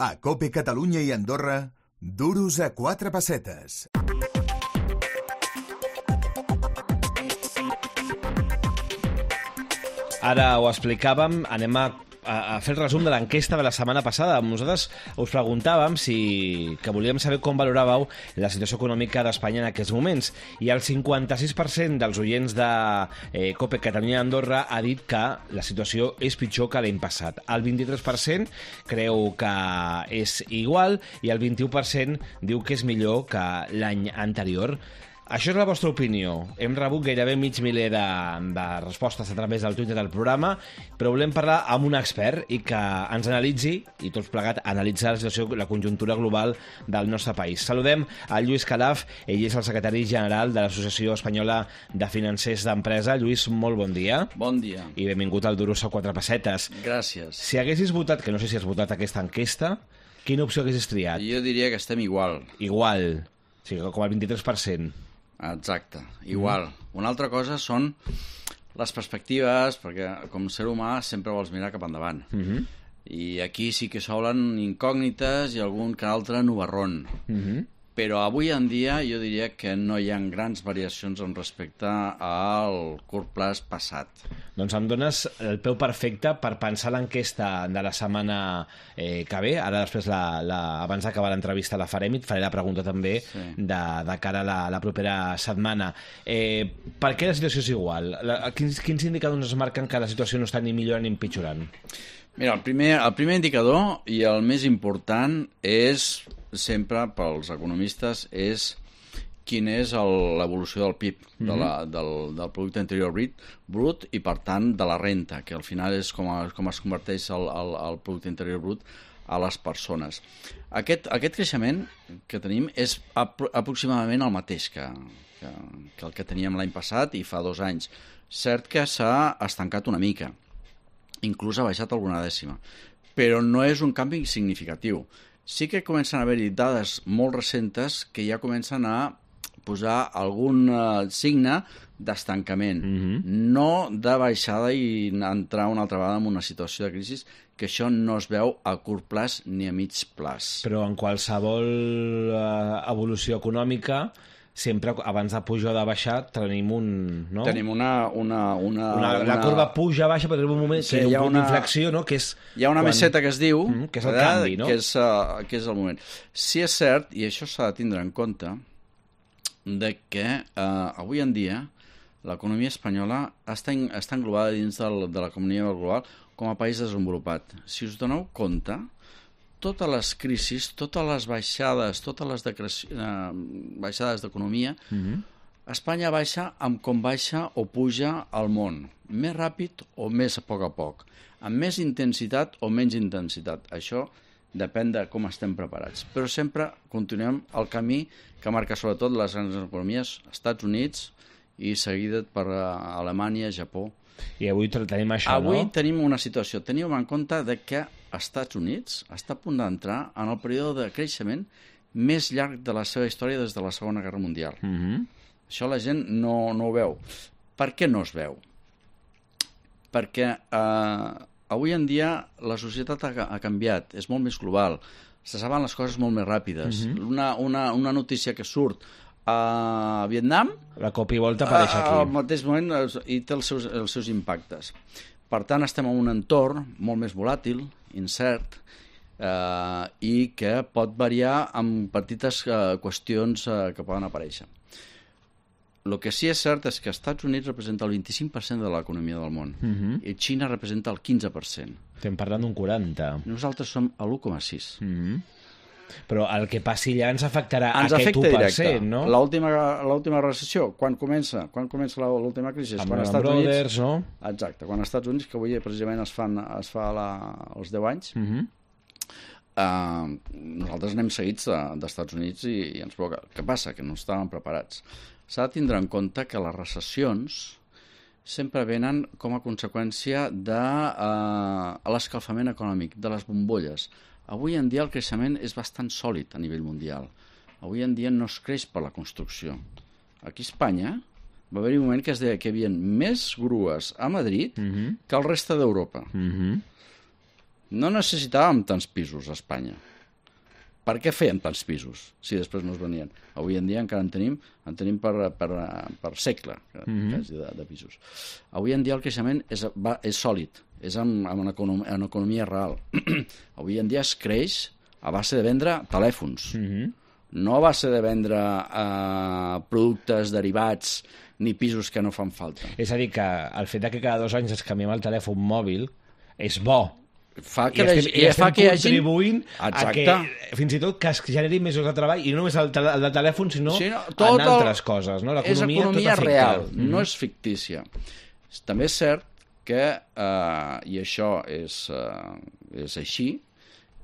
A COPE Catalunya i Andorra, duros a 4 pessetes. Ara ho explicàvem, anem a fer el resum de l'enquesta de la setmana passada. Nosaltres us preguntàvem que volíem saber com valoràveu la situació econòmica d'Espanya en aquests moments, i el 56% dels oients de COPE Catalunya i Andorra ha dit que la situació és pitjor que l'any passat. El 23% creu que és igual i el 21% diu que és millor que l'any anterior. Això és la vostra opinió. Hem rebut gairebé mig miler de respostes a través del Twitter del programa, però volem parlar amb un expert i que ens analitzi, i tots plegat, analitzar la situació, la conjuntura global del nostre país. Saludem a Lluís Calaf, ell és el secretari general de l'Associació Espanyola de Financers d'Empresa. Lluís, molt bon dia. Bon dia. I benvingut al Duros a 4 pessetes. Gràcies. Si haguessis votat, que no sé si has votat aquesta enquesta, quina opció haguessis triat? Jo diria que estem igual. Igual. O sigui, com el 23%. Exacte, igual. Una altra cosa són les perspectives, perquè com a ser humà sempre vols mirar cap endavant. I aquí sí que s'obren incògnites i algun que altre nubarrón. Però avui en dia jo diria que no hi ha grans variacions en respecte al curt plaç passat. Doncs em dones el peu perfecte per pensar l'enquesta de la setmana que ve. Ara després, abans d'acabar l'entrevista, la farem i et faré la pregunta també de cara a la propera setmana. Per què la situació és igual? Quins indicadors ens marquen que la situació no està ni millorant ni empitjorant? Mira, el primer indicador i el més important és, sempre pels economistes, és quina és l'evolució del PIB, del Producte Interior Brut, i per tant de la renta, que al final és com es converteix el Producte Interior Brut a les persones. Aquest creixement que tenim és aproximadament el mateix que el que teníem l'any passat i fa 2 anys. Cert que s'ha estancat una mica, inclús ha baixat alguna dècima, però no és un canvi significatiu. Sí que comencen a haver-hi dades molt recentes que ja comencen a posar algun signe d'estancament, no de baixada i entrar una altra vegada en una situació de crisi, que això no es veu a curt plaç ni a mig plaç. Però en qualsevol evolució econòmica, sempre abans de pujar o de baixar tenim no? Tenim la curva puja-baixa, però tenim un moment que hi ha un punt d'inflexió, no? Que és hi ha una meseta que es diu, que és el canvi, no? Que és el moment. Sí és cert, i això s'ha de tindre en compte, de que avui en dia l'economia espanyola està englobada dins de l'economia global com a país desenvolupat. Si us doneu compte, totes les crisis, totes les baixades, totes les baixades d'economia, Espanya baixa amb com baixa o puja al món, més ràpid o més a poc, amb més intensitat o menys intensitat. Això depèn de com estem preparats. Però sempre continuem el camí que marca sobretot les grans economies, Estats Units i seguida per Alemanya, Japó. I avui tenim això, no? Avui tenim una situació. Tenim en compte de que Estats Units està a punt d'entrar en el període de creixement més llarg de la seva història des de la Segona Guerra Mundial. Això la gent no ho veu. Per què no es veu? Perquè avui en dia la societat ha canviat, és molt més global, se saben les coses molt més ràpides. Una notícia que surt a Vietnam, la cop i volta apareix aquí. Al mateix moment i té els seus impactes. Per tant, estem en un entorn molt més volàtil, incert, i que pot variar amb petites qüestions que poden aparèixer. El que sí és cert és que els Estats Units representa el 25% de l'economia del món i Xina representa el 15%. Estem parlant d'un 40%. Nosaltres som a l'1,6%. Però el que passi allà ens afectarà aquest 1%, no? L'última recessió, quan comença l'última crisi? Amb Lehman Brothers, no? Exacte, quan als Estats Units, que avui precisament es fa els 10 anys, nosaltres anem seguits d'Estats Units i ens provoca. Què passa? Que no estàvem preparats. S'ha de tindre en compte que les recessions sempre venen com a conseqüència de l'escalfament econòmic, de les bombolles. Avui en dia el creixement és bastant sòlid a nivell mundial. Avui en dia no es creix per la construcció. Aquí a Espanya va haver-hi un moment que es deia que hi havia més grues a Madrid que al resta d'Europa. no necessitàvem tants pisos a Espanya. Per què fèiem tants pisos si després no es venien? Avui en dia encara en tenim per segle quasi de pisos. Avui en dia el creixement és sòlid, és en economia real. Avui en dia es creix a base de vendre telèfons, no a base de vendre productes derivats ni pisos que no fan falta. És a dir, que el fet que cada 2 anys es canviem el telèfon mòbil és bo. Fa que estem hi hagi... contribuint a que fins i tot que es generi més llocs de treball, i no només el de telèfon, sinó en altres coses. No? És economia real, no és fictícia. També és cert que, i això és així,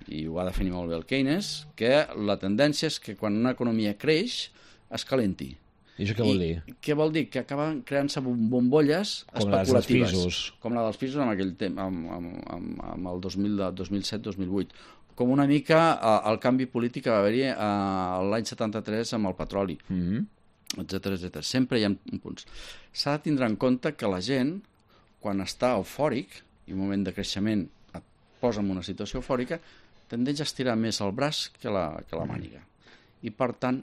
i ho va definir molt bé el Keynes, que la tendència és que quan una economia creix, es calenti. I això què vol dir? Què vol dir? Que acaben creant-se bombolles especulatives. Com la dels pisos en aquell temps, amb el 2007-2008. Com una mica el canvi polític que va haver-hi l'any 73 amb el petroli, etc. Sempre hi ha punts. S'ha de tindre en compte que la gent, quan està eufòric, i un moment de creixement et posa en una situació eufòrica, tendeix a estirar més el braç que la màniga. I, per tant,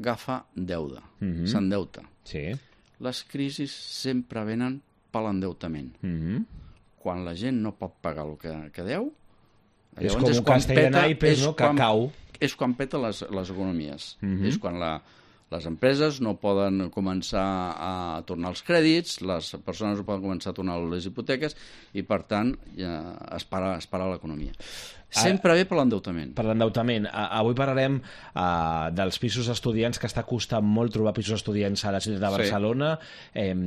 agafa deuda, s'endeuta. Sí. Les crisis sempre venen per l'endeutament. Quan la gent no pot pagar el que deu, és com un castell de naipes, no? Que cau. És quan peta les economies. És quan les empreses no poden començar a tornar els crèdits, les persones no poden començar a tornar les hipoteques i, per tant, es para l'economia. Sempre ve per l'endeutament. Per l'endeutament. Avui parlarem dels pisos estudiants, que està costant molt trobar pisos estudiants a la ciutat de Barcelona.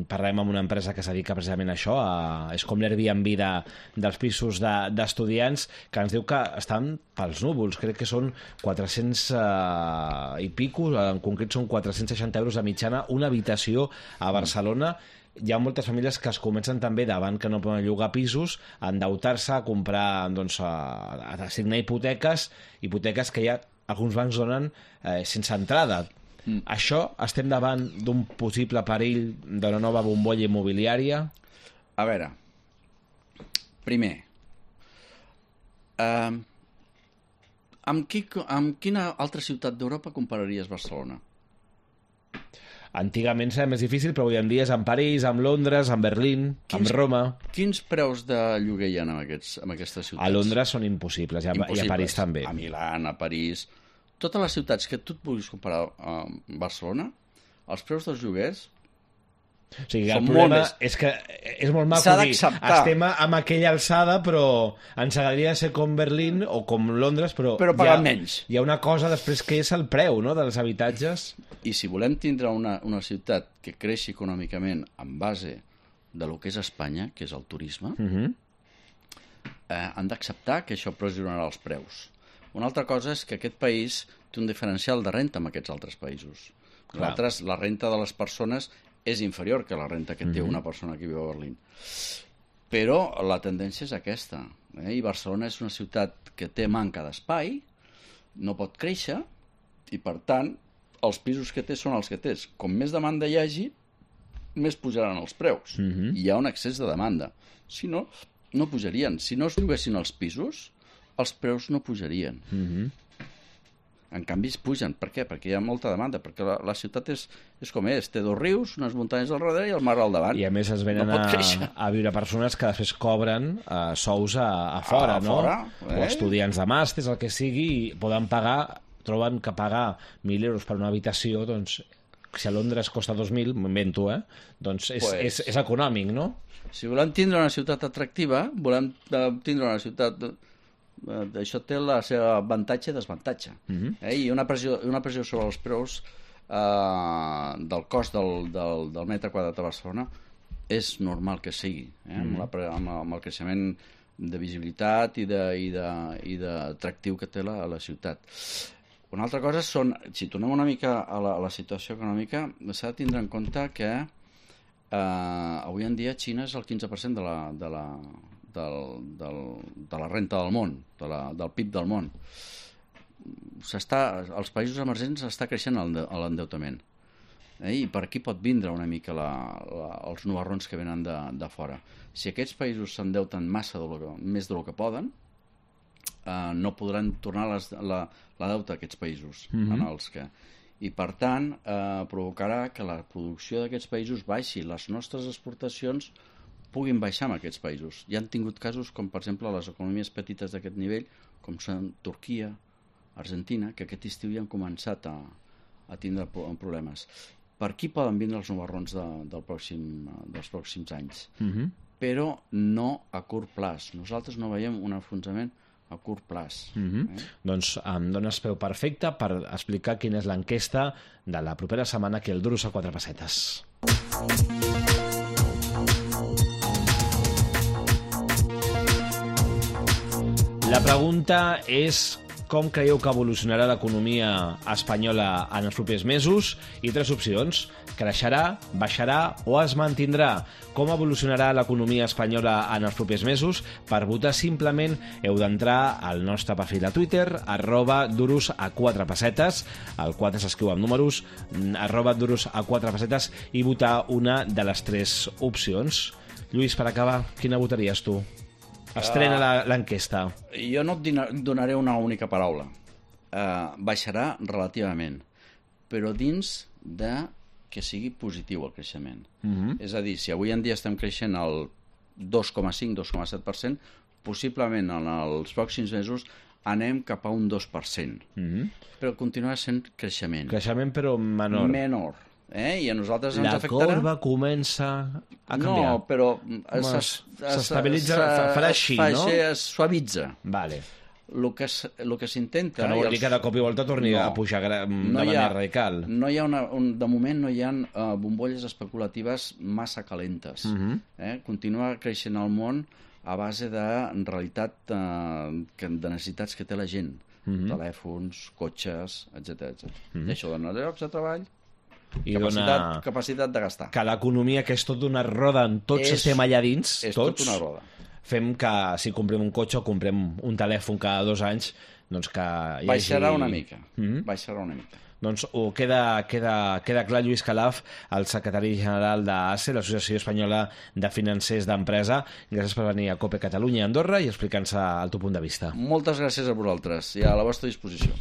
Parlarem amb una empresa que es dedica precisament a això, és com l'Airbnb dels pisos d'estudiants, que ens diu que estan pels núvols. Crec que són 400 i pico, en concret són 460 euros de mitjana, una habitació a Barcelona. Hi ha moltes famílies que es comencen també, davant que no poden llogar pisos, a endeutar-se, a comprar, doncs, a signar hipoteques que ja alguns bancs donen sense entrada. Això, estem davant d'un possible perill d'una nova bombolla immobiliària? A veure, primer, amb quina altra ciutat d'Europa compararies Barcelona? Antigament era més difícil, però avui en dia és amb París, amb Londres, amb Berlín, amb Roma. Quins preus de lloguer hi ha en aquestes ciutats? A Londres són impossibles, i a París també. A Milà, a París... Totes les ciutats que tu et puguis comparar amb Barcelona, els preus dels lloguers... O sigui, el problema és que és molt maco dir, estem amb aquella alçada, però ens agradaria ser com Berlín o com Londres, però pagant menys. Hi ha una cosa després que és el preu, no?, dels habitatges. I si volem tindre una ciutat que creixi econòmicament en base de lo que és Espanya, que és el turisme, han d'acceptar que això pressionarà els preus. Una altra cosa és que aquest país té un diferencial de renta amb aquests altres països. Nosaltres, la renta de les persones és inferior que la renta que té una persona que viu a Berlín. Però la tendència és aquesta. I Barcelona és una ciutat que té manca d'espai, no pot créixer, i per tant, els pisos que té són els que té. Com més demanda hi hagi, més pujaran els preus. Hi ha un excés de demanda. Si no, no pujarien. Si no es lloguessin els pisos, els preus no pujarien. En canvi, es pugen. Per què? Perquè hi ha molta demanda, perquè la ciutat és com és. Té 2 rius, unes muntanyes al darrere i el mar al davant. I a més es venen a viure persones que després cobren sous a fora, no? O estudiants de màsters, el que sigui, i poden pagar, troben que pagar 1.000 euros per una habitació, doncs, si a Londres costa 2.000, m'invento, doncs és econòmic, no? Si volem tindre una ciutat atractiva, volem tindre una ciutat... Això té la seva avantatge i desvantatge. I una pressió sobre els preus del cost del metre quadrat a Barcelona és normal que sigui, amb el creixement de visibilitat i d'atractiu que té la ciutat. Una altra cosa són, si tornem una mica a la situació econòmica, s'ha de tindre en compte que avui en dia Xina és el 15% de la renta del món, del PIB del món. Els països emergents està creixent l'endeutament. I per aquí pot vindre una mica els nubarrons que venen de fora. Si aquests països s'endeuten massa més del que poden, no podran tornar la deuta a aquests països en els que... I, per tant, provocarà que la producció d'aquests països baixi, les nostres exportacions puguin baixar en aquests països. Ja han tingut casos com, per exemple, les economies petites d'aquest nivell, com són Turquia, Argentina, que aquest estiu ja han començat a tindre problemes. Per aquí poden vindre els nubarrons dels pròxims anys. Però no a curt plaç. Nosaltres no veiem un enfonsament a curt plaç. Doncs em dones peu perfecte per explicar quina és l'enquesta de la propera setmana que el Duros a 4 pessetes. La pregunta és: com creieu que evolucionarà l'economia espanyola en els propers mesos? I 3 opcions: creixerà, baixarà o es mantindrà? Com evolucionarà l'economia espanyola en els propers mesos? Per votar simplement heu d'entrar al nostre perfil de Twitter, @duros4pessetes, el 4 s'escriu amb números, @duros4pessetes, i votar una de les 3 opcions. Lluís, per acabar, quina votaries tu? Estrena l'enquesta. Jo no et donaré una única paraula. Baixarà relativament, però dins de que sigui positiu el creixement. És a dir, si avui en dia estem creixent al 2,5-2,7%, possiblement en els pròxims mesos anem cap a un 2%. Però continuarà sent creixement. Creixement, però menor. Menor. I a nosaltres ens afectarà... La corba comença a canviar. No, però... S'estabilitza, farà així, no? Es suavitza. Vale. El que s'intenta... Que no vol dir que de cop i volta torni a pujar de manera radical. No hi ha de moment no hi ha bombolles especulatives massa calentes. Continua creixent el món a base de realitat de necessitats que té la gent. Telèfons, cotxes, etc. I això dona llocs de treball, capacitat de gastar. Que l'economia, que és tot una roda, en tots estem allà dins, és tots, tot una roda. Fem que si comprem un cotxe o comprem un telèfon cada 2 anys, doncs que hi hagi... Baixarà una mica. Baixarà una mica. Doncs queda clar. Lluís Calaf, el secretari general d'ACE, l'Associació Espanyola de Financers d'Empresa. Gràcies per venir a COPE Catalunya i Andorra i explicar-nos el teu punt de vista. Moltes gràcies a vosaltres i a la vostra disposició.